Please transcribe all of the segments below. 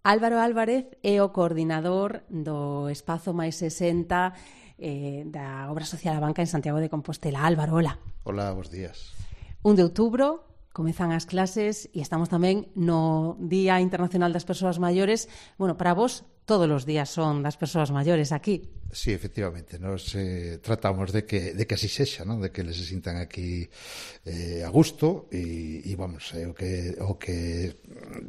Álvaro Álvarez é o coordinador do Espazo máis 60 da Obra Social A Banca en Santiago de Compostela. Álvaro, hola. Hola, bons días. 1 de outubro, comezan as clases e estamos tamén no Día Internacional das Persoas Maiores. Bueno, para vos, todos os días son das persoas maiores aquí. Sí, efectivamente, nos tratamos de que así sexa, ¿no? De que les se sintan aquí a gusto e vamos, o que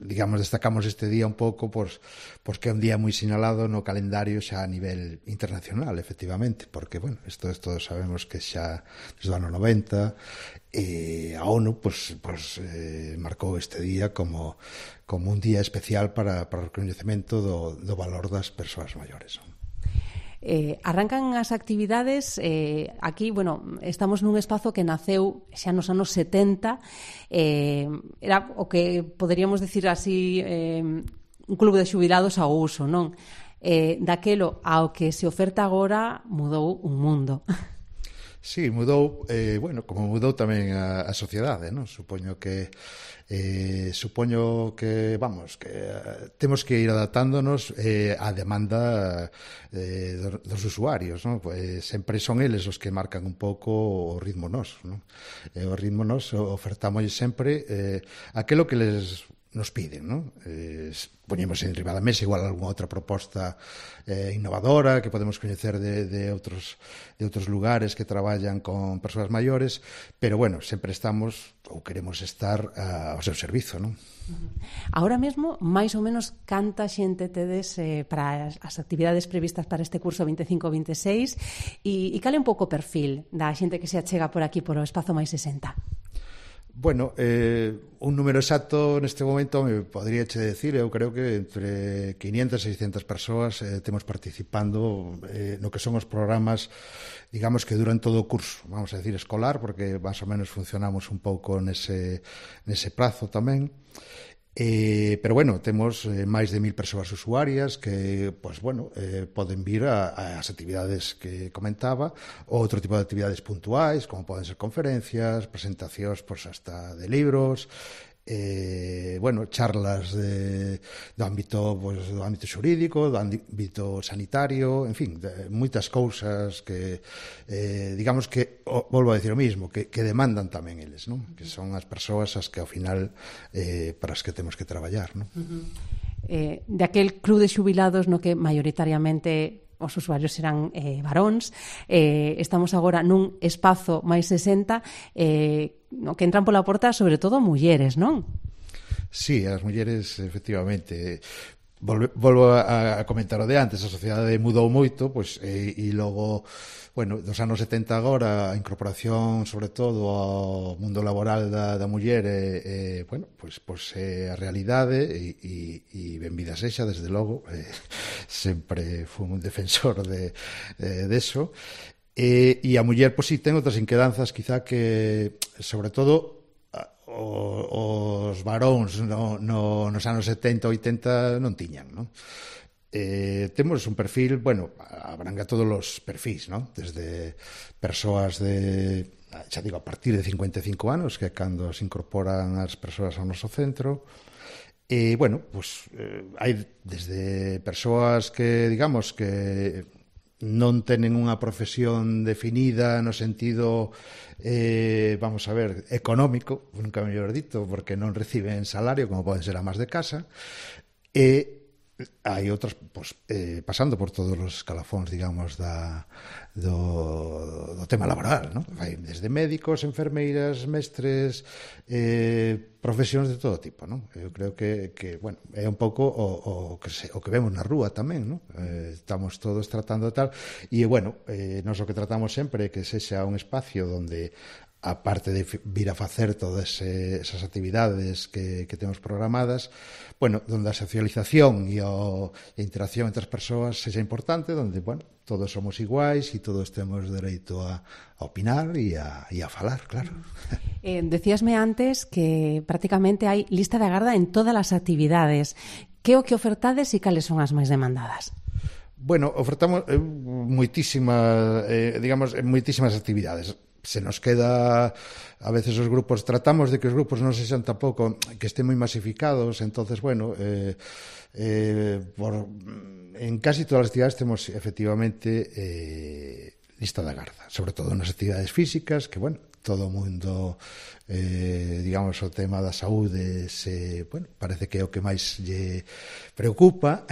digamos destacamos este día un pouco porque é un día moi sinalado no calendario xa a nivel internacional, efectivamente, porque, bueno, isto todos sabemos que xa desde o ano 90 a ONU marcou este día como un día especial para o recoñecemento do valor das persoas maiores, ¿no? Arrancan as actividades aquí, bueno, estamos nun espazo que naceu xa nos anos 70, era o que poderíamos decir así un club de xubilados ao uso, non? Daquelo ao que se oferta agora mudou un mundo. Sí, mudou, como mudou tamén a sociedade, non? Supoño que vamos, que temos que ir adaptándonos á demanda dos usuarios, non? Pues sempre son eles os que marcan un pouco o ritmo noso, non? O ritmo noso ofertamos sempre aquilo que nos piden, non? Poñemos en riba da mesa igual algunha outra proposta innovadora que podemos coñecer de outros lugares que traballan con persoas maiores, pero bueno, sempre estamos ou queremos estar ao seu servizo, non? Ahora mesmo, máis ou menos, canta xente tedes para as actividades previstas para este curso 25-26 e cal é un pouco o perfil da xente que se achega por aquí por o Espazo máis 60? Bueno, un número exacto neste momento me podría che decir, eu creo que entre 500 e 600 persoas temos participando no que son os programas, digamos que duran todo o curso, vamos a decir escolar, porque máis ou menos funcionamos un pouco nese prazo tamén. Pero bueno, temos máis de 1000 persoas usuarias que, poden vir ás actividades que comentaba, ou outro tipo de actividades puntuais, como poden ser conferencias, presentacións hasta de libros, charlas do ámbito xurídico, do ámbito sanitario, en fin, moitas cousas que, digamos que, volvo a decir o mismo, que demandan tamén eles, non? Que son as persoas as que ao final para as que temos que traballar, non? De aquel club de xubilados no que maioritariamente os usuarios serán varóns, estamos agora nun espazo máis 60 no que entran pola porta sobre todo mulleres, non? Sí, as mulleres, efectivamente. Volvo a comentar o de antes, a sociedade mudou moito, e logo, dos anos 70 agora, a incorporación, sobre todo, ao mundo laboral da muller é a realidade e benvida sexa, desde logo, sempre fui un defensor deso. E a muller, si ten outras inquedanzas, quizá que, sobre todo, os varóns nos anos 70 80 non tiñan, non? Temos un perfil, abranga todos os perfis, non? Desde persoas a partir de 55 anos, que é cando se incorporan as persoas ao noso centro, hai desde persoas que, digamos, que non tenen unha profesión definida no sentido económico, nunca mellor dito, porque non reciben salario como poden ser amas de casa, e hai outras pasando por todos os escalafóns, digamos, do tema laboral, non? Hai desde médicos, enfermeiras, mestres, profesións de todo tipo, non? Eu creo que é un pouco o que vemos na rúa tamén, non? Estamos todos tratando de tal, e nós o que tratamos sempre é que sexa un espacio onde, aparte de vir a facer todas esas actividades que temos programadas, donde a socialización e a interacción entre as persoas sexa importante, donde, todos somos iguais e todos temos dereito a opinar e a falar, claro. Decíasme antes que prácticamente hai lista de agarda en todas as actividades. Que o que ofertades e cales son as máis demandadas? Ofertamos moitísimas actividades. se nos queda, a veces os grupos, tratamos de que os grupos non sexan tampouco, que estén moi masificados, entonces, bueno, en casi todas as actividades temos efectivamente lista da garda, sobre todo nas actividades físicas, que, bueno, todo o mundo, digamos, o tema da saúde bueno, parece que é o que máis lle preocupa,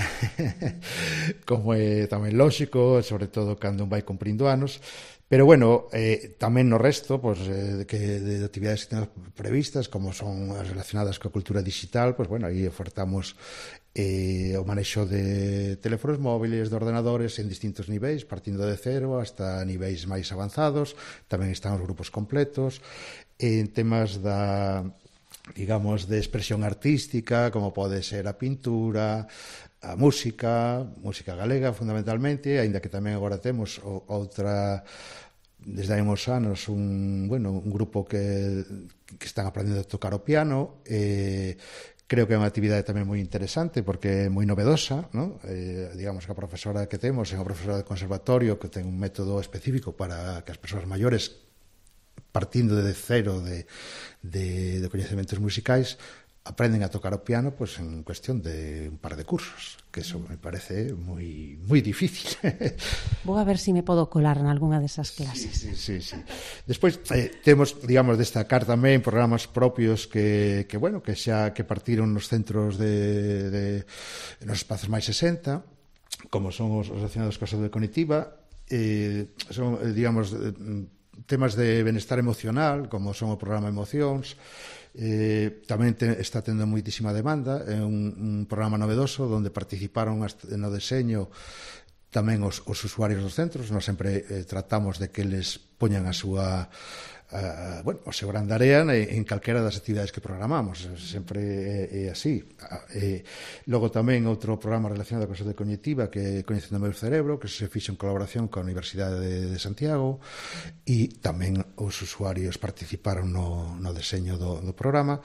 como é tamén lóxico, sobre todo cando un vai cumprindo anos. Pero, bueno, tamén no resto, pues, de actividades que temos previstas, como son as relacionadas coa cultura digital, pues, bueno, aí ofertamos o manexo de teléfonos móviles, de ordenadores en distintos niveis, partindo de cero hasta niveis máis avanzados. Tamén están os grupos completos. En temas digamos, de expresión artística, como pode ser a pintura, a música galega fundamentalmente, aínda que tamén agora temos outra, desde hai uns anos, un grupo que están aprendendo a tocar o piano. Creo que é unha actividade tamén moi interesante porque é moi novedosa, ¿no? Digamos que a profesora que temos é unha profesora de conservatorio que ten un método específico para que as persoas maiores, partindo de cero de coñecementos musicais, aprenden a tocar o piano, pues, en cuestión de un par de cursos, que eso me parece moi difícil. Vou a ver se me podo colar en algunha desas clases. Sí. Despois temos, digamos, destacar tamén programas propios que partiron nos centros nos espazos máis 60, como son os relacionados coa saúde cognitiva, son, digamos, temas de benestar emocional, como son o programa Emocións. Tamén está tendo moitísima demanda. É un programa novedoso onde participaron no deseño tamén os usuarios dos centros. Nós sempre tratamos de que eles poñan a súa o seu gran area en calquera das actividades que programamos. Sempre é así. Logo tamén outro programa relacionado con a saúde cognitiva, que é Coñecendo o meu cerebro, que se fixo en colaboración coa Universidade de Santiago, e tamén os usuarios participaron no deseño do programa.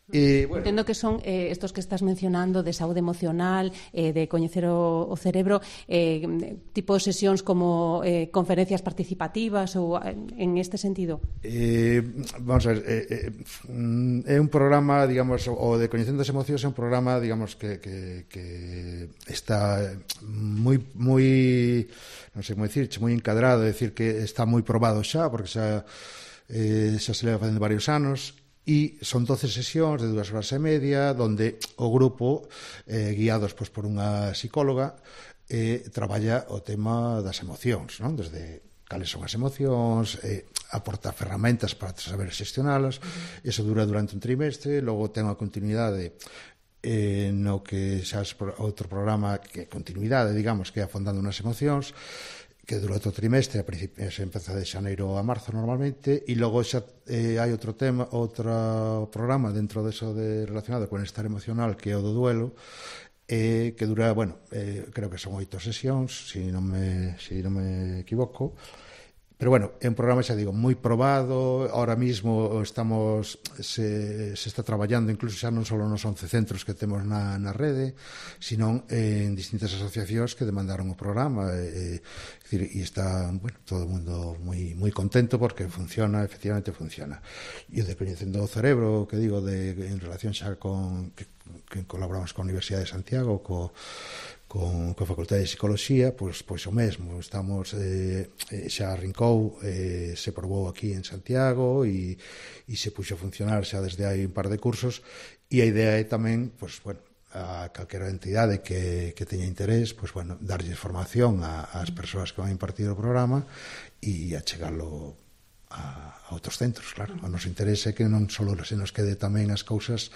Bueno, entendo que son estos que estás mencionando de saúde emocional, de coñecer o cerebro, tipo sesións como conferencias participativas ou en este sentido? Vamos a ver, é un programa, digamos, o de Coñecendo as emocións é un programa, digamos, que está moi non sei como dicirche, moi encadrado, é dicir que está moi probado xa, porque xa se leva facendo varios anos. E son 12 sesións de 2 horas e media, donde o grupo, guiados por unha psicóloga, traballa o tema das emocións, non? Desde cales son as emocións, aporta ferramentas para saber xestionalas. Eso dura durante un trimestre, logo ten a continuidade no que xa é outro programa que é continuidade, digamos, que é Afondando nas emocións, que dura outro trimestre, se empeza de xaneiro a marzo normalmente, e logo xa hai outro programa dentro deso relacionado con estar emocional, que é o do duelo, que dura, creo que son 8 sesións, se non me equivoco. Pero, é un programa, xa digo, moi probado. Ahora mismo se está traballando incluso xa non só nos 11 centros que temos na rede, sino en distintas asociacións que demandaron o programa, e está, todo o mundo moi contento porque efectivamente funciona. E o de Coñecendo o cerebro, que digo, en relación xa con que colaboramos con a Universidade de Santiago, con a Facultade de Psicoloxía, pois o mesmo. Estamos, xa arrancou, se probou aquí en Santiago e se puxo a funcionar xa desde hai un par de cursos, e a idea é tamén, a calquera entidade que teña interés, darlle formación ás persoas que van a impartir o programa e achegalo a outros centros, claro. O noso interese é que non só se nos quede tamén as cousas,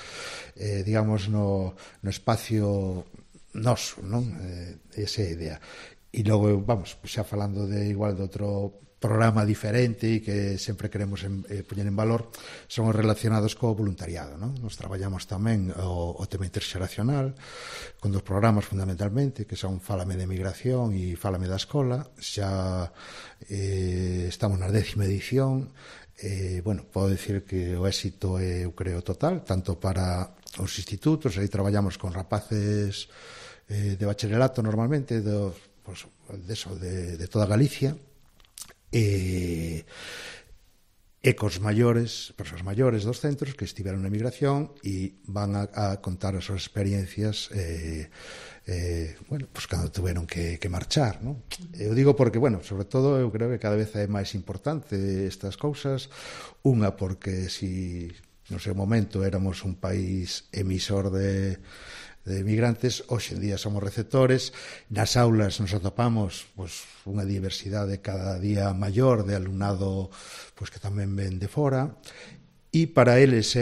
digamos, no espacio noso, non? Esa é a idea. E logo, xa falando de outro programa diferente e que sempre queremos poñer en valor, son os relacionados co voluntariado, non? Nos traballamos tamén o tema interxeracional con 2 programas fundamentalmente, que son Fálame de Migración e Fálame da Escola. Xa estamos na 10ª edición. Podo dicir que o éxito é, eu creo, total, tanto para os institutos. Aí traballamos con rapaces de bacharelato normalmente de toda Galicia, e e cos maiores, persoas maiores dos centros que estiveron na emigración e van a contar as súas experiencias bueno, pues cando tuveron que marchar, ¿no? Eu digo porque, bueno, sobre todo eu creo que cada vez é máis importante estas cousas, unha porque si no seu momento éramos un país emisor de migrantes, hoxe en día somos receptores, nas aulas nos atopamos pues, unha diversidade cada día maior de alumnado pues, que tamén ven de fora, e para eles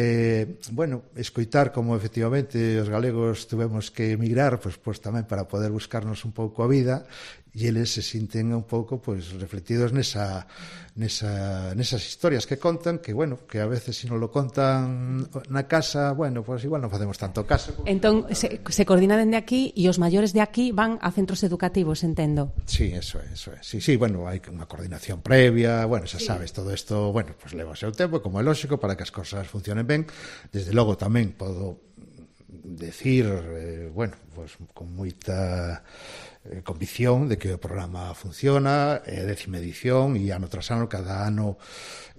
bueno, escoitar como efectivamente os galegos tuvemos que emigrar pues tamén para poder buscarnos un pouco a vida, e eles se sinten un pouco pues, reflectidos nesas historias que contan, que bueno, que a veces se non lo contan na casa, bueno, pues igual non facemos tanto caso. Entón, se coordina dende aquí e os maiores de aquí van a centros educativos, entendo. Sí, eso é. Sí, bueno, hai unha coordinación previa, bueno, xa sabes, todo isto, bueno, pues leva o seu tempo, como é lógico, para que as cosas funcionen ben. Desde logo tamén podo decir, bueno, pues con moita convicción de que o programa funciona, é a 10ª edición e ano tras ano, cada ano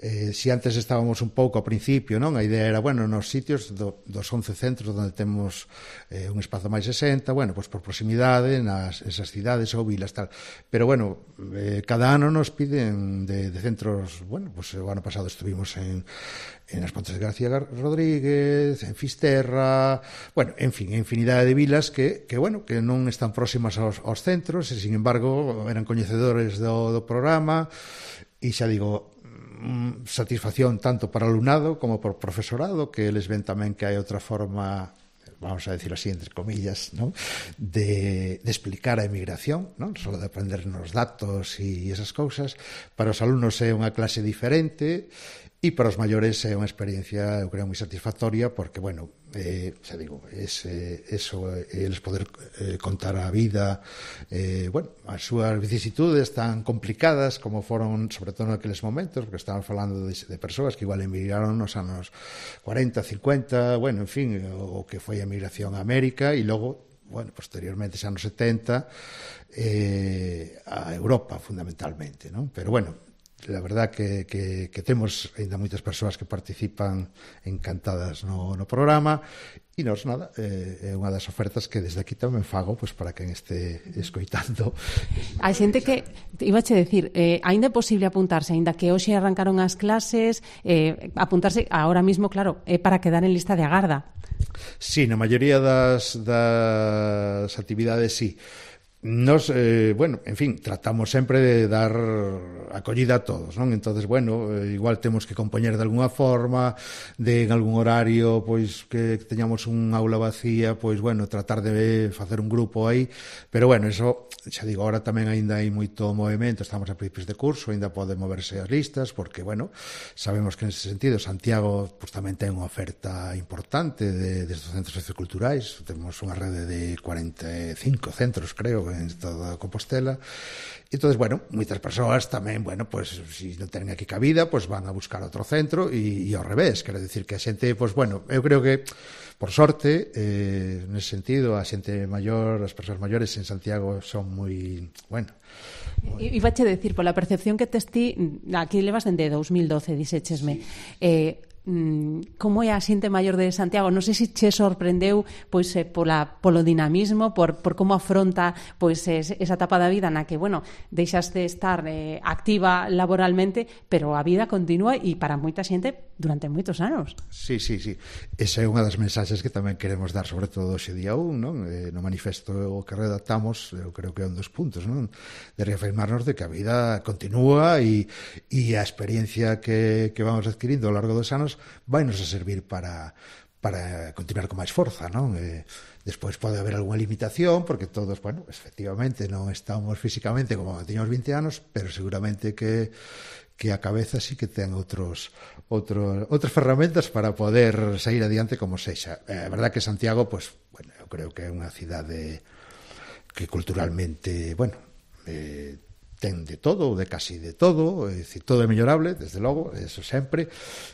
si antes estábamos un pouco ao principio, non? A idea era, bueno, nos sitios dos 11 centros onde temos un espazo máis 60, bueno, pues por proximidade esas cidades ou vilas tal, pero bueno, cada ano nos piden de centros, bueno, pues o ano pasado estuvimos en As Pontes de García Rodríguez, en Fisterra, bueno, en fin, infinidade de vilas que bueno, que non están próximas aos centros e, sin embargo, eran coñecedores do programa e xa digo, satisfacción tanto para alumnado como por profesorado, que eles ven tamén que hai outra forma, vamos a decir así, entre comillas, ¿no? de explicar a emigración, ¿no? Solo de aprendernos datos e esas cousas. Para os alumnos é unha clase diferente e para os maiores é unha experiencia, eu creo, moi satisfactoria, porque, bueno, xa digo, eles poder contar a vida, bueno, as súas vicisitudes tan complicadas como foron, sobre todo naqueles momentos, porque estamos falando de persoas que igual emigraron nos anos 40, 50, bueno, en fin, o que foi a emigración a América e logo, bueno, posteriormente, xa anos 70, a Europa, fundamentalmente, non? Pero, bueno, la verdad que temos ainda moitas persoas que participan encantadas no programa e nos, nada, é unha das ofertas que desde aquí tamén fago pues, para quen este escoitando. Hai xente que, ibache decir, ainda é posible apuntarse, ainda que hoxe arrancaron as clases, apuntarse agora mismo, claro, é para quedar en lista de agarda. Sí, na maioría das actividades, sí. Nos, bueno, en fin, tratamos sempre de dar acollida a todos, non? Entonces, bueno, igual temos que compoñer de alguna forma, en algún horario, pois, que teñamos un aula vacía, pois, bueno, tratar de facer un grupo aí, pero, bueno, eso, xa digo, ahora tamén aínda hai moito movimento, estamos a principios de curso, aínda pode moverse as listas, porque, bueno, sabemos que nese sentido Santiago, pois, tamén ten unha oferta importante destes centros socioculturais, temos unha rede de 45 centros, creo, en toda Compostela. Entonces, bueno, moitas persoas tamén, bueno, pues si non tenen aquí cabida, pues van a buscar outro centro e ao revés, quero dicir que a xente, pues bueno, eu creo que por sorte, nese sentido, a xente maior, as persoas maiores en Santiago son moi, bueno, Ibache decir, pola percepción que tes ti, aquí levas dende 2012, dixéchesme, como é a xente maior de Santiago? Non sei se che sorprendeu pois polo dinamismo, por como afronta pois esa etapa da vida na que, bueno, deixas de estar activa laboralmente, pero a vida continúa e para moita xente durante moitos anos. Sí. Esa é unha das mensaxes que tamén queremos dar, sobre todo hoxe día 1, non? No manifesto que redactamos, eu creo que é un dos puntos, non? De reafirmarnos de que a vida continúa e a experiencia que vamos adquirindo ao largo dos anos vai nos a servir para continuar con máis forza, non? Despois pode haber algunha limitación, porque todos, bueno, efectivamente non estamos físicamente como tiñamos 20 anos, pero seguramente que a cabeza sí que ten outras ferramentas para poder sair adiante como sexa. É verdad que Santiago, pues, bueno, eu creo que é unha cidade que culturalmente, bueno, ten de todo, ou de casi de todo, é dicir, todo é mellorable, desde logo, eso sempre,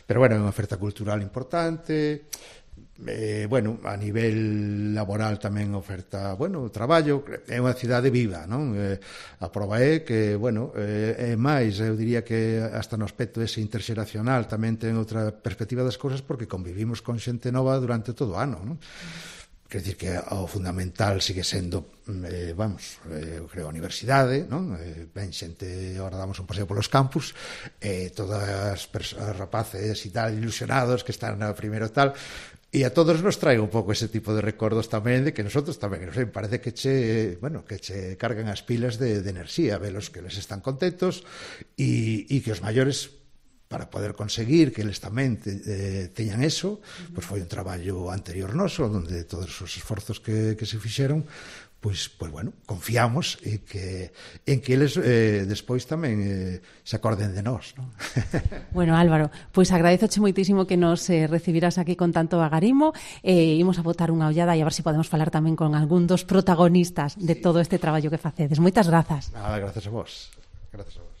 pero bueno, é unha oferta cultural importante, bueno, a nivel laboral tamén oferta, bueno, traballo, é unha cidade viva, non? A proba é que, bueno, é máis, eu diría que hasta no aspecto ese interxeracional tamén ten outra perspectiva das cousas porque convivimos con xente nova durante todo o ano, non? Quer dizer que o fundamental sigue sendo, eu creo, a universidade, non? Ben xente, agora damos un paseo polos campus, todas as rapaces e tal, ilusionados que están na primeiro tal, e a todos nos trae un pouco ese tipo de recordos tamén de que nosotros tamén, non sei, parece que che cargan as pilas de enerxía, velos que les están contentos e que os maiores, para poder conseguir que eles tamén teñan eso, pois foi un traballo anterior noso, onde todos os esforzos que se fixeron, pois bueno, confiamos en que eles despois tamén se acorden de nós, non? Bueno, Álvaro, pois agradezoche moitísimo que nos recibirás aquí con tanto agarimo, imos a botar unha ollada e a ver se podemos falar tamén con algún dos protagonistas de todo este traballo que facedes. Moitas grazas. Nada, grazas a vos. Grazas a vos.